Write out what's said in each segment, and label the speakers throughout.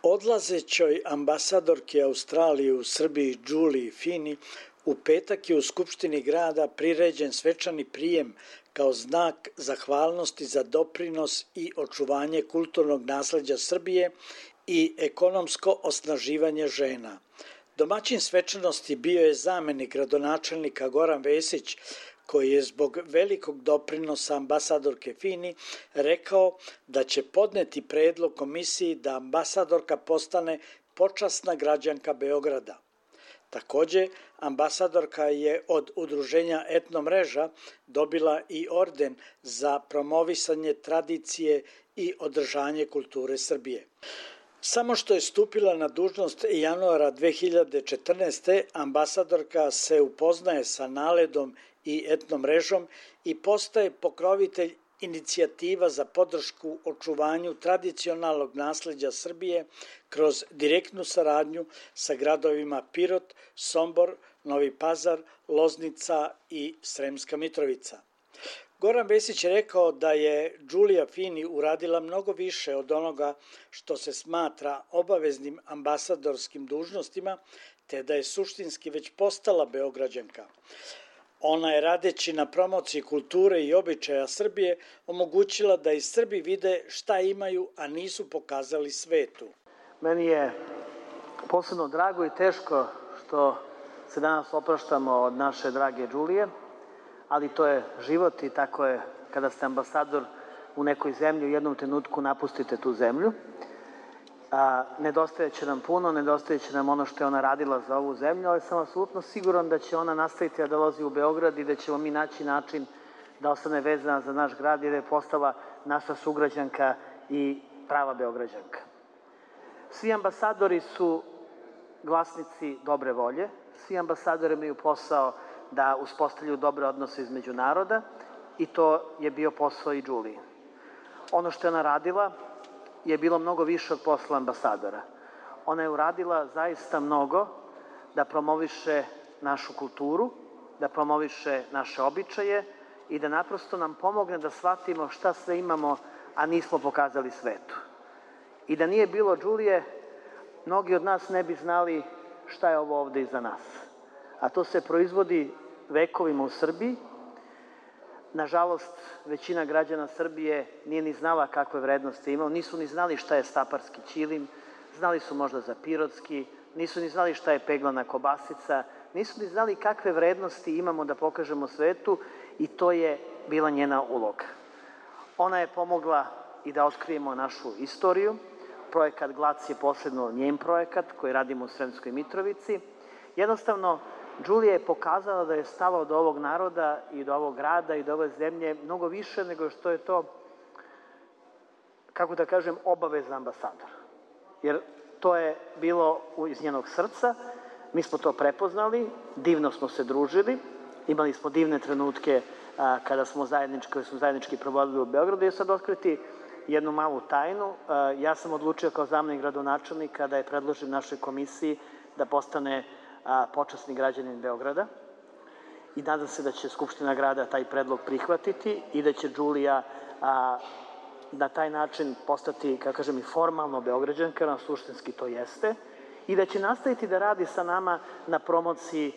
Speaker 1: Odlazećoj ambasadorki Australije u Srbiji Juliji Fini u petak je u Skupštini grada priređen svečani prijem kao znak zahvalnosti za doprinos i očuvanje kulturnog nasleđa Srbije i ekonomsko osnaživanje žena. Domaćin svečanosti bio je zamenik gradonačelnika Goran Vesić, koji je zbog velikog doprinosa ambasadorke Fini rekao da će podneti predlog komisiji da ambasadorka postane počasna građanka Beograda. Takođe, ambasadorka je od udruženja Etnomreža dobila i orden za promovisanje tradicije i održanje kulture Srbije. Samo što je stupila na dužnost januara 2014. ambasadorka se upoznaje sa NALED-om i Etnomrežom i postaje pokrovitelj inicijativa za podršku očuvanju tradicionalnog nasleđa Srbije kroz direktnu saradnju sa gradovima Pirot, Sombor, Novi Pazar, Loznica i Sremska Mitrovica. Goran Vesić je rekao da je Julija Fini uradila mnogo više od onoga što se smatra obaveznim ambasadorskim dužnostima, te da je suštinski već postala Beograđanka. Ona je radeći na promociji kulture i običaja Srbije omogućila da i Srbi vide šta imaju, a nisu pokazali svetu.
Speaker 2: Meni je posebno drago i teško što se danas opraštamo od naše drage Julije, ali to je život i tako je kada ste ambasador u nekoj zemlji, u jednom trenutku napustite tu zemlju. Nedostajeće nam puno, nedostajeće nam ono što je ona radila za ovu zemlju, ali sam apsolutno siguran da će ona nastaviti da dolazi u Beograd i da ćemo mi naći način da ostane vezana za naš grad i da je postala naša sugrađanka i prava Beograđanka. Svi ambasadori su glasnici dobre volje, svi ambasadori imaju posao da uspostavljaju dobre odnose između naroda i to je bio posao i Julije. Ono što je ona radila je bilo mnogo više od posla ambasadora. Ona je uradila zaista mnogo da promoviše našu kulturu, da promoviše naše običaje i da naprosto nam pomogne da shvatimo šta sve imamo, a nismo pokazali svetu. I da nije bilo Julije, mnogi od nas ne bi znali šta je ovo ovde iza nas. A to se proizvodi vekovima u Srbiji. Nažalost, većina građana Srbije nije ni znala kakve vrednosti imao, nisu ni znali šta je staparski ćilim, znali su možda za pirotski, nisu ni znali šta je peglana kobasica, nisu ni znali kakve vrednosti imamo da pokažemo svetu i to je bila njena uloga. Ona je pomogla i da otkrijemo našu istoriju. Projekat GLAC je posebno njen projekat koji radimo u Sremskoj Mitrovici. Jednostavno, Julija je pokazala da je stala od ovog naroda i do ovog grada i do ove zemlje mnogo više nego što je to, kako da kažem, obaveza ambasadora. Jer to je bilo iz njenog srca, mi smo to prepoznali, divno smo se družili, imali smo divne trenutke kada smo zajednički provodili u Beogradu i sad otkriti jednu malu tajnu. Ja sam odlučio kao zamenik gradonačelnika da je predložim našoj komisiji da postane počasni građanin Beograda i nadam se da će Skupština grada taj predlog prihvatiti i da će Julija na taj način postati, kako kažem, i formalno Beograđanka, na suštinski to jeste, i da će nastaviti da radi sa nama na promociji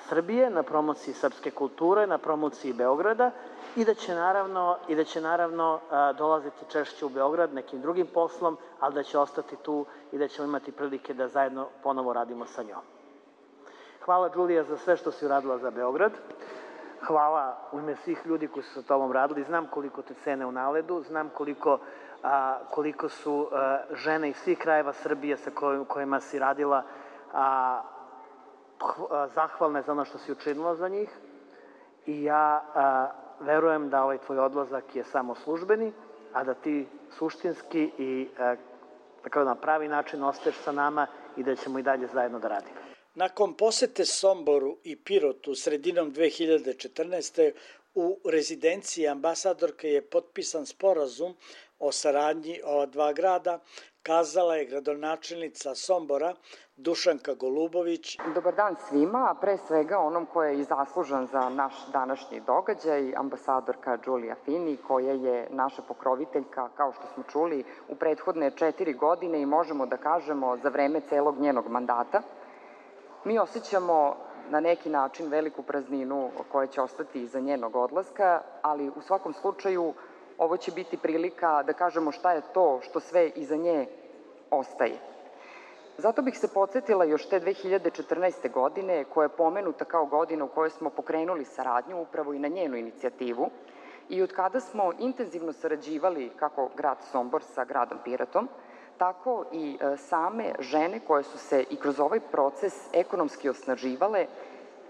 Speaker 2: Srbije, na promociji srpske kulture, na promociji Beograda i da će naravno dolaziti češće u Beograd nekim drugim poslom, ali da će ostati tu i da ćemo imati prilike da zajedno ponovo radimo sa njom. Hvala, Julija, za sve što si uradila za Beograd. Hvala u ime svih ljudi koji su sa tobom radili. Znam koliko te cene u NALED-u, znam koliko su žene iz svih krajeva Srbije sa kojima si radila zahvalne za ono što si učinila za njih. I ja verujem da ovaj tvoj odlazak je samo službeni, a da ti suštinski i na pravi način ostaješ sa nama i da ćemo i dalje zajedno da radimo.
Speaker 1: Nakon posete Somboru i Pirotu sredinom 2014. u rezidenciji ambasadorke je potpisan sporazum o saradnji ova dva grada, kazala je gradonačelnica Sombora Dušanka Golubović.
Speaker 3: Dobar dan svima, a pre svega onom ko je i zaslužan za naš današnji događaj, ambasadorka Đulija Fini, koja je naša pokroviteljka, kao što smo čuli, u prethodne 4 godine i možemo da kažemo za vreme celog njenog mandata. Mi osjećamo na neki način veliku prazninu koja će ostati iza njenog odlaska, ali u svakom slučaju ovo će biti prilika da kažemo šta je to što sve iza nje ostaje. Zato bih se podsjetila još te 2014. godine, koja je pomenuta kao godina u kojoj smo pokrenuli saradnju upravo i na njenu inicijativu i od kada smo intenzivno sarađivali kako grad Sombor sa gradom Pirotom, tako i same žene koje su se i kroz ovaj proces ekonomski osnaživale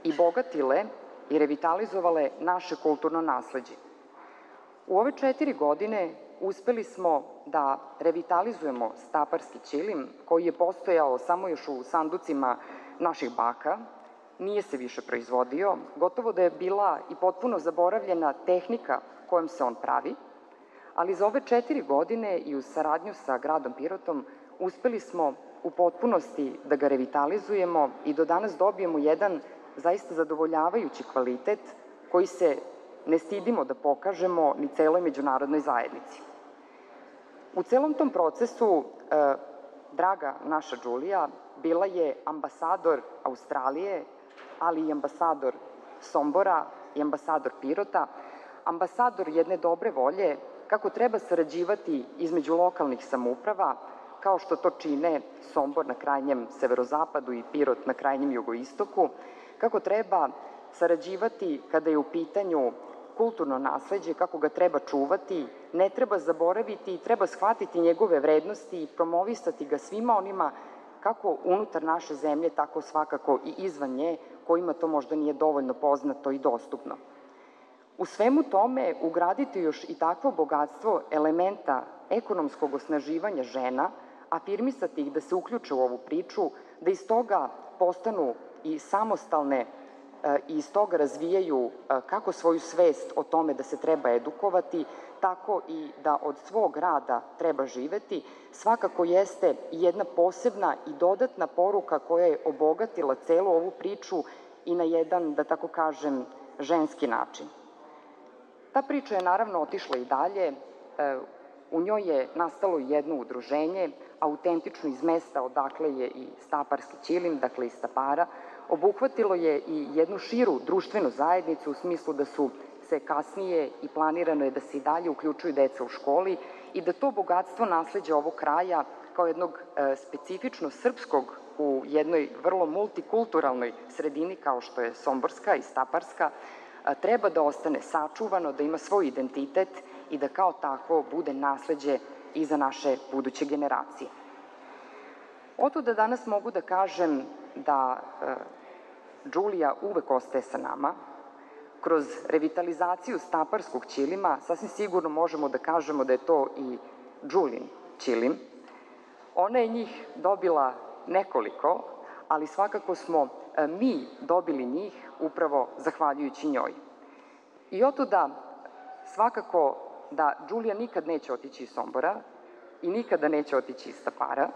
Speaker 3: i bogatile i revitalizovale naše kulturno nasleđe. U ove 4 godine uspeli smo da revitalizujemo staparski ćilim koji je postojao samo još u sanducima naših baka, nije se više proizvodio, gotovo da je bila i potpuno zaboravljena tehnika kojom se on pravi, ali za ove 4 godine i u saradnju sa gradom Pirotom uspeli smo u potpunosti da ga revitalizujemo i do danas dobijemo jedan zaista zadovoljavajući kvalitet koji se ne stidimo da pokažemo ni celoj međunarodnoj zajednici. U celom tom procesu, draga naša Đulija bila je ambasador Australije, ali i ambasador Sombora i ambasador Pirota, ambasador jedne dobre volje kako treba sarađivati između lokalnih samouprava, kao što to čine Sombor na krajnjem severozapadu i Pirot na krajnjem jugoistoku, kako treba sarađivati kada je u pitanju kulturno nasleđe, kako ga treba čuvati, ne treba zaboraviti i treba shvatiti njegove vrednosti i promovisati ga svima onima kako unutar naše zemlje, tako svakako i izvan nje, kojima to možda nije dovoljno poznato i dostupno. U svemu tome ugraditi još i takvo bogatstvo elementa ekonomskog osnaživanja žena, afirmisati ih da se uključe u ovu priču, da iz toga postanu i samostalne i iz toga razvijaju kako svoju svest o tome da se treba edukovati, tako i da od svog rada treba živeti, svakako jeste jedna posebna i dodatna poruka koja je obogatila celu ovu priču i na jedan, da tako kažem, ženski način. Ta priča je naravno otišla i dalje, u njoj je nastalo jedno udruženje, autentično iz mesta odakle je i staparski ćilim, dakle iz Stapara, obuhvatilo je i jednu širu društvenu zajednicu u smislu da su se kasnije i planirano je da se i dalje uključuju deca u školi i da to bogatstvo nasleđa ovog kraja kao jednog specifično srpskog u jednoj vrlo multikulturalnoj sredini kao što je Somborska i Staparska treba da ostane sačuvano, da ima svoj identitet i da kao takvo bude nasleđe i za naše buduće generacije. Oto da danas mogu da kažem da Đulija uvek ostaje sa nama. Kroz revitalizaciju staparskog ćilima sasvim sigurno možemo da kažemo da je to i Đulin ćilim. Ona je njih dobila nekoliko, ali svakako smo mi dobili njih upravo zahvaljujući njoj. I oto da svakako da Đulija nikad neće otići iz Sombora i nikada neće otići iz Stapara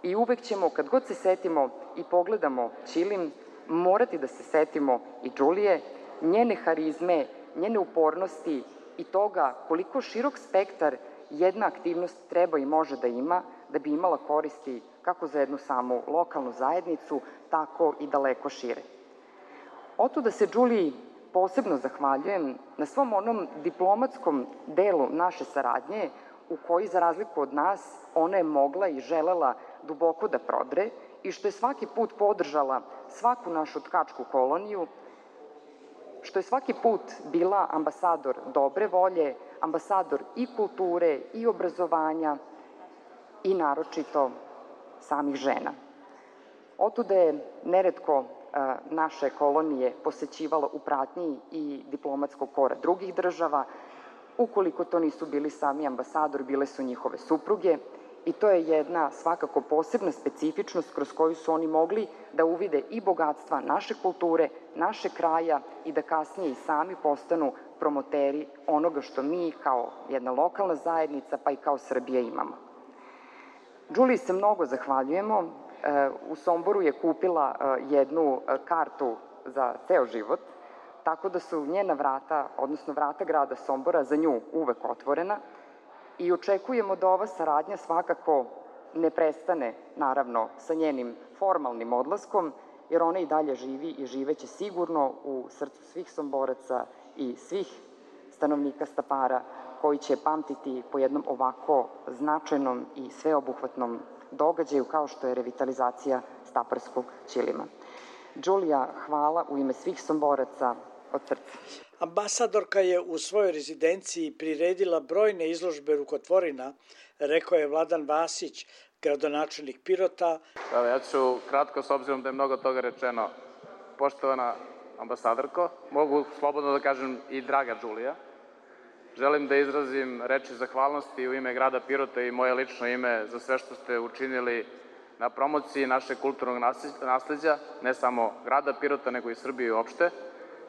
Speaker 3: i uvek ćemo, kad god se setimo i pogledamo ćilim, morati da se setimo i Đulije, njene harizme, njene upornosti i toga koliko širok spektar jedna aktivnost treba i može da ima da bi imala koristi kako za jednu samu lokalnu zajednicu, tako i daleko šire. Oto da se Đuliji posebno zahvaljujem na svom onom diplomatskom delu naše saradnje u koji, za razliku od nas, ona je mogla i želela duboko da prodre i što je svaki put podržala svaku našu tkačku koloniju, što je svaki put bila ambasador dobre volje, ambasador i kulture i obrazovanja i naročito samih žena. Otuda je neretko naše kolonije posećivala u pratnji i diplomatskog kora drugih država. Ukoliko to nisu bili sami ambasadori, bile su njihove supruge i to je jedna svakako posebna specifičnost kroz koju su oni mogli da uvide i bogatstva naše kulture, naše kraja i da kasnije i sami postanu promoteri onoga što mi kao jedna lokalna zajednica pa i kao Srbija imamo. Đuliji se mnogo zahvaljujemo. U Somboru je kupila jednu kartu za ceo život, tako da su njena vrata, odnosno vrata grada Sombora za nju uvek otvorena i očekujemo da ova saradnja svakako ne prestane, naravno, sa njenim formalnim odlaskom, jer ona i dalje živi i živeće sigurno u srcu svih Somboraca i svih stanovnika Stapara, koji će pamtiti po jednom ovako značajnom i sveobuhvatnom događaju kao što je revitalizacija Staparskog ćilima. Đulija, hvala u ime svih Somboraca od srca.
Speaker 1: Ambasadorka je u svojoj rezidenciji priredila brojne izložbe rukotvorina, rekao je Vladan Vasić, gradonačelnik Pirota.
Speaker 4: Ja ću kratko, s obzirom da je mnogo toga rečeno. Poštovana ambasadorko, mogu slobodno da kažem i draga Đulija, želim da izrazim reči zahvalnosti u ime grada Pirota i moje lično ime za sve što ste učinili na promociji našeg kulturnog nasleđa, ne samo grada Pirota, nego i Srbije uopšte,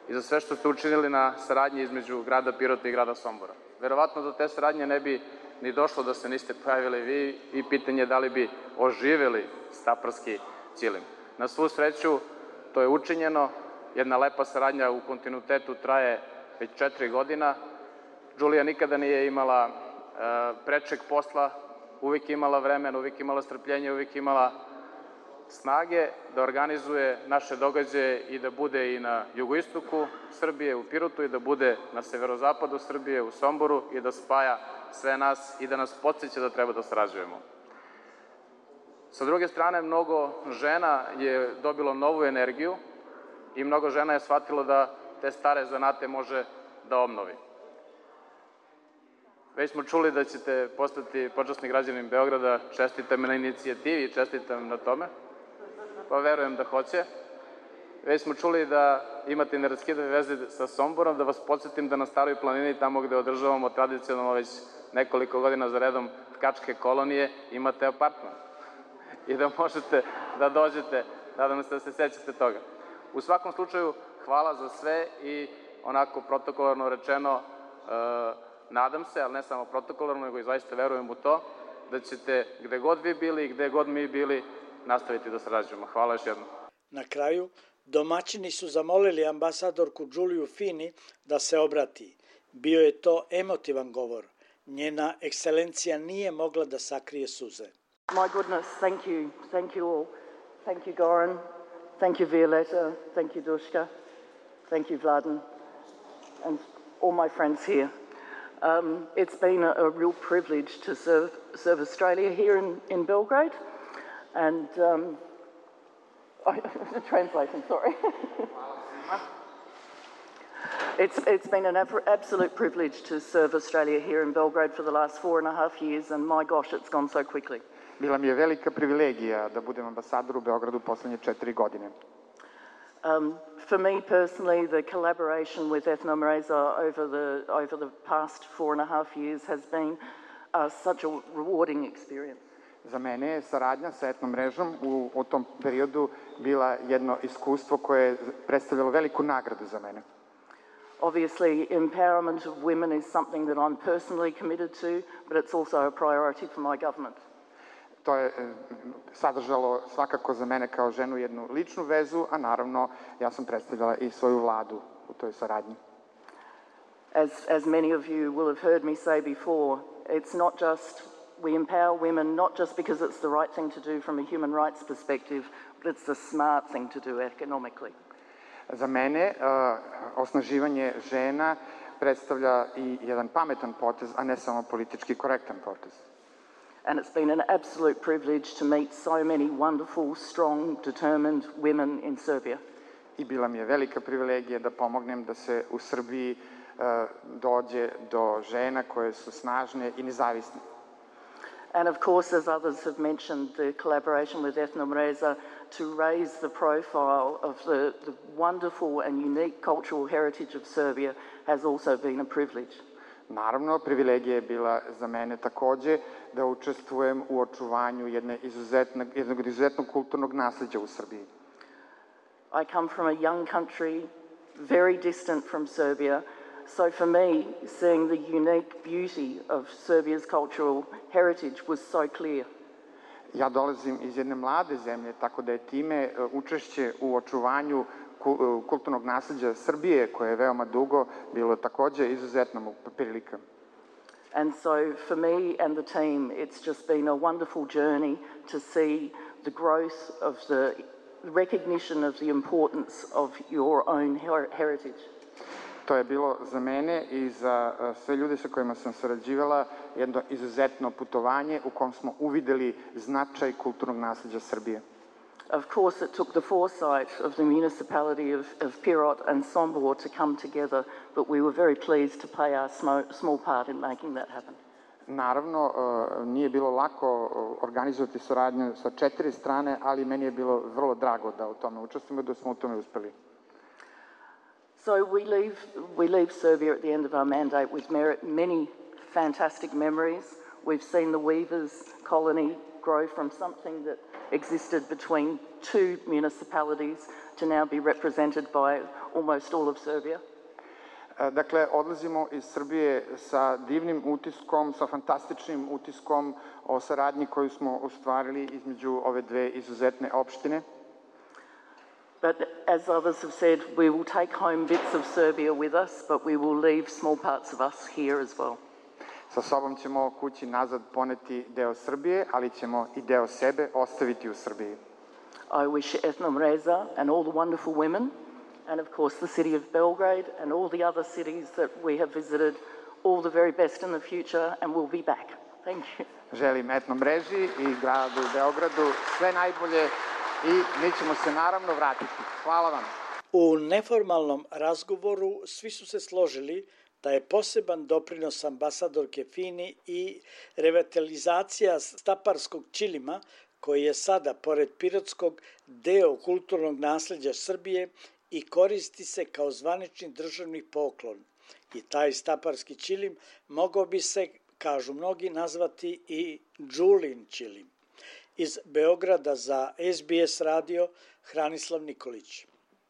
Speaker 4: i za sve što ste učinili na saradnji između grada Pirota i grada Sombora. Verovatno do te saradnje ne bi ni došlo da se niste pojavili vi i pitanje da li bi oživeli Staparski ćilim. Na svu sreću, to je učinjeno, jedna lepa saradnja u kontinuitetu traje već 4 godina. Đulija nikada nije imala prečeg posla, uvijek imala vremena, uvijek imala strpljenje, uvijek imala snage da organizuje naše događaje i da bude i na jugoistoku Srbije, u Pirotu, i da bude na severozapadu Srbije, u Somboru, i da spaja sve nas i da nas podsjeća da treba da sarađujemo. Sa druge strane, mnogo žena je dobilo novu energiju i mnogo žena je shvatilo da te stare zanate može da obnovi. Već smo čuli da ćete postati počasni građanin Beograda, čestitam na inicijativi i čestitam na tome, pa verujem da hoće. Već smo čuli da imate neraskidive veze sa Somborom, da vas podsjetim da na Staroj planini, tamo gde održavamo tradicionalno već nekoliko godina za redom tkačke kolonije, imate apartman i da možete da dođete, nadam se da se sećate toga. U svakom slučaju, hvala za sve i onako protokolarno rečeno, nadam se, ali ne samo protokolarno, nego i zaista verujem u to, da ćete gde god vi bili i gde god mi bili nastaviti da sarađujemo. Hvala još jednom.
Speaker 1: Na kraju, domaćini su zamolili ambasadorku Đuliju Fini da se obrati. Bio je to emotivan govor. Njena ekscelencija nije mogla da sakrije suze.
Speaker 5: My goodness, thank you all. Thank you, Goran. Thank you, Violetta. Thank you, Duška. Thank you, Vladan. And all my friends here. It's been a real privilege to serve Australia here in Belgrade. And translation, sorry. It's been an absolute privilege to serve Australia here in Belgrade for the last 4.5 years, and my gosh, it's gone so quickly.
Speaker 6: Bila mi je velika privilegija da budem ambasador u Beogradu poslednje 4 godine.
Speaker 5: For me personally, the collaboration with Ethno Mreza over the past 4.5 years has been such a rewarding experience.
Speaker 6: Za mene je saradnja sa Etno mrežom u tom periodu bila jedno iskustvo koje je predstavljalo veliku nagradu za mene.
Speaker 5: Obviously, empowerment of women is something that I'm personally committed to, but it's also a priority for my government.
Speaker 6: To je sadržalo svakako za mene kao ženu jednu ličnu vezu, a naravno ja sam predstavljala i svoju vladu u toj saradnji.
Speaker 5: As many of you will have heard me say before, it's not just we empower women not just because it's the right thing to do from a human rights perspective, but it's the smart thing to do economically.
Speaker 6: Za mene osnaživanje žena predstavlja i jedan pametan potez, a ne samo politički korektan potez.
Speaker 5: And it's been an absolute privilege to meet so many wonderful, strong, determined women in Serbia.
Speaker 6: I bila mi je velika privilegija da pomognem da se u Srbiji dođe do žena koje su snažne i nezavisne.
Speaker 5: And of course, as others have mentioned, the collaboration with Ethno Mreza to raise the profile of the wonderful and unique cultural heritage of Serbia has also been a privilege.
Speaker 6: Naravno, privilegija je bila za mene takođe da učestvujem u očuvanju jednog izuzetnog kulturnog nasleđa u Srbiji.
Speaker 5: I come from a young country, very distant from Serbia, so for me, seeing the unique beauty of Serbia's cultural heritage was so clear.
Speaker 6: Ja dolazim iz jedne mlade zemlje, tako da je time učešće u očuvanju kulturnog nasleđa Srbije, koje je veoma dugo, bilo takođe izuzetna prilika.
Speaker 5: And so for me and the team, it's just been a wonderful journey to see the growth of the recognition of the importance of your own heritage.
Speaker 6: To je bilo za mene i za sve ljude sa kojima sam sarađivala jedno izuzetno putovanje u kom smo uvideli značaj kulturnog nasleđa Srbije.
Speaker 5: Of course, it took the foresight of the municipality of Pirot and Sombor to come together, but we were very pleased to play our small part in making that happen.
Speaker 6: Naravno, nije bilo lako organizovati saradnju sa 4 strane, ali meni je bilo vrlo drago da u tome učestvujemo i da smo u tome uspeli.
Speaker 5: So we leave Serbia at the end of our mandate with many fantastic memories. We've seen the Weavers colony grow from something that existed between 2 municipalities to now be represented by almost all of Serbia.
Speaker 6: Dakle, odlazimo iz Srbije sa divnim utiskom, sa fantastičnim utiskom o saradnji koju smo ostvarili između ove dve izuzetne opštine.
Speaker 5: But as others have said, we will take home bits of Serbia with us, but we will leave small parts of us here as well.
Speaker 6: Sa sobom ćemo kući nazad poneti deo Srbije, ali ćemo i deo sebe ostaviti u Srbiji.
Speaker 5: I wish Ethnom Reza and all the wonderful women, and of course the city of Belgrade and all the other cities that we have visited, all the very best in the future, and we'll be back. Thank you.
Speaker 6: Želim Etnom Mreži i gradu Beogradu sve najbolje i mi ćemo se naravno vratiti. Hvala vam.
Speaker 1: U neformalnom razgovoru svi su se složili da je poseban doprinos ambasadorke Fini i revitalizacija staparskog ćilima, koji je sada, pored pirotskog, deo kulturnog nasleđa Srbije i koristi se kao zvanični državni poklon. I taj staparski ćilim mogao bi se, kažu mnogi, nazvati i Đulin ćilim. Iz Beograda za SBS radio Hranislav Nikolić.